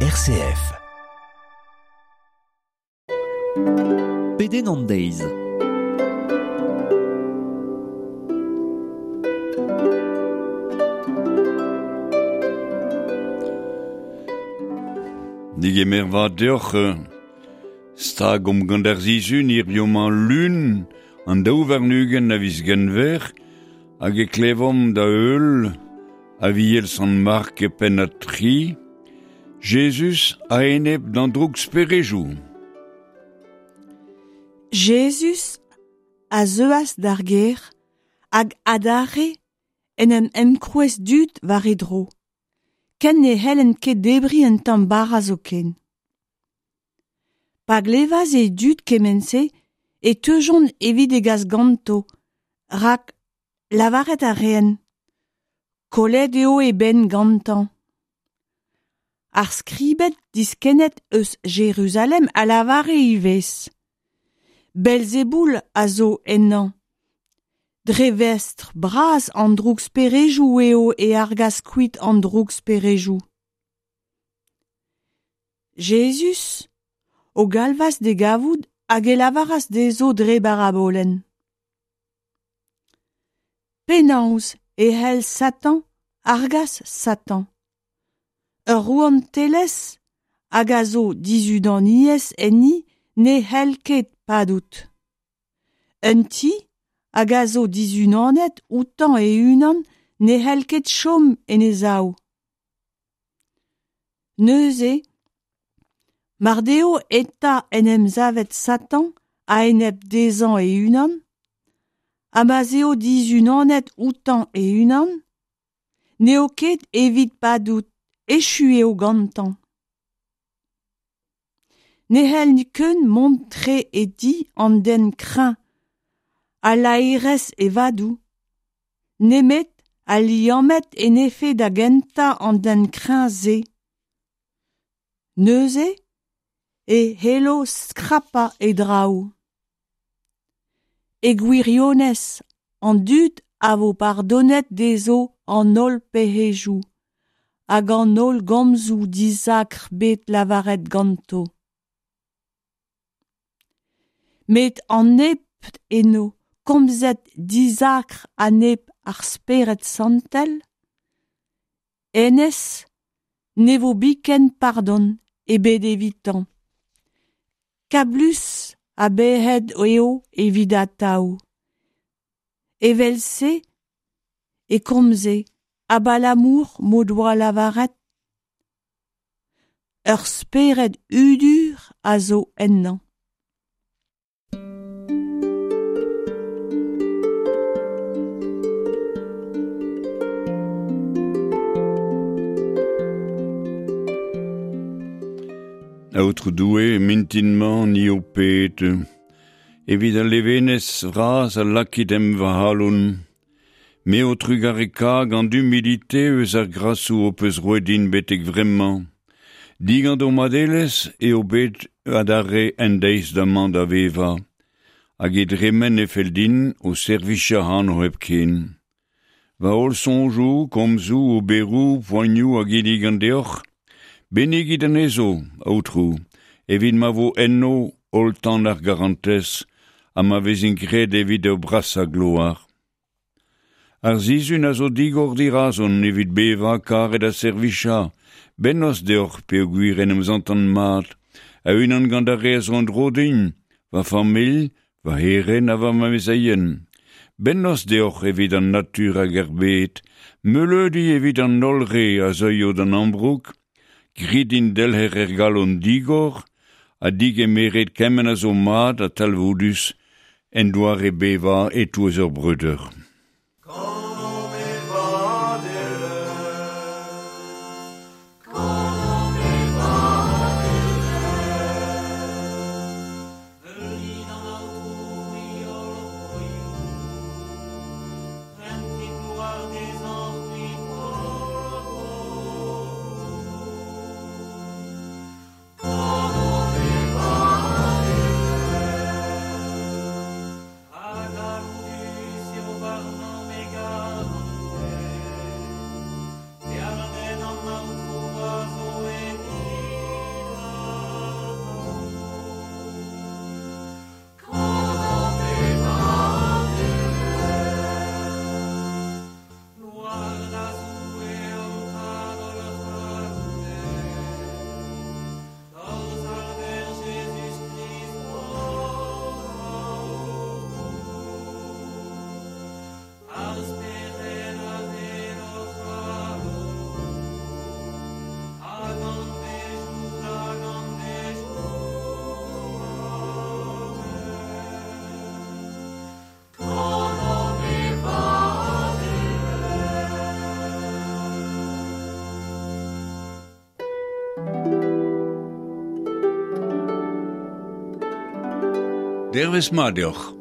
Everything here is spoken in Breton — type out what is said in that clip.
RCF. Pedenn an deiz. Digemer vat deoc'h. Stag omp gant ar sizhun hiziv-mañ Lun, an 22 a viz Genver, hag e klevomp da heul Aviel Sant Mark e pennad 3, Jezuz a-enep d'an droug-sperejoù. Jezuz a zeuas d'ar gêr hag adarre en em enkrouez dud war e dro, ken ne c'hellent ket debriñ un tamm bara zoken. Pa glevas e dud kement-se e teujont evit e gas ganto, rak lavaret a reent kollet eo e benn gantañ. Ar skribed diskennet eus Jeruzalem a lavare ivez Belzeboul a zo ennañ. Dre vestr bras an drougsperejoù eo e argas kuit an drougsperejoù. Jezuz o galvas d'e gavout hag e lavaras dezho dre barabolenn. Penaos e c'hell Satan argas Satan? Ur rouantelezh hag a zo dizunaniezh enni ne c'hell ket padout. Un ti hag a zo dizunanet outañ e-unan ne c'hell ket chom en e sav. Neuze, mar deo eta en em savet Satan a-enep dezhañ e-unan, ha ma'z eo dizunanet outañ e-unan, n'eo ket evit padout, echu eo gantañ. Ne c'hell nikun mont tre e di an den kreñv ha laerezh e vadoù, nemet ha liammet en defe da gentañ an den kreñv-se. Neuze e c'hello skrapañ e draoù. E gwirionez, an dud a vo pardonet dezho an holl pec'hedoù hag an holl gomzoù dizakr bet lavaret ganto. Met an neb eno komzet dizakr a-enep ar Spered Santel, hennezh ne vo biken pardon ebet evitañ. Kablus a bec'hed eo evit atav. Evel-se e komze abalamour m'o doa lavaret ur spered hudur a zo ennañ. Aotrou Doue, mintin-mañ ni ho ped, evit al levenez vras a lakit em va c'halon. Me ho trugareka gant humilite eus ar grasoù ho peus roet din betek vremañ. Digant ho madelezh eo bet adarre en deiz damañ da vevañ, hag e dremen e fell din ho servijañ ac'hano hepken. Va holl soñjoù, komzoù, oberoù, poanioù a ginnigan deoc'h, bennigit anezho, Aotrou, evit ma vo enno holl tan ar garantez ha ma vezint graet evit ur brasañ gloar. Ar sizhun a zo digor dirazon evit bevañ, karet ha servijañ. Bennozh deoc'h peogwir en em santan mat, a-unan gant ar re a zo en-dro din, va familh, va c'herent ha va amezeien. Bennozh deoc'h evit an natur hag ar bed, meuleudi evit an holl re a zeuio d'an ambroug, grit din delc'her er galon digor ha digemeret kement a zo mat ha talvoudus en doare bevañ e-touez hor breudeur. Dervezh mat deoc'h.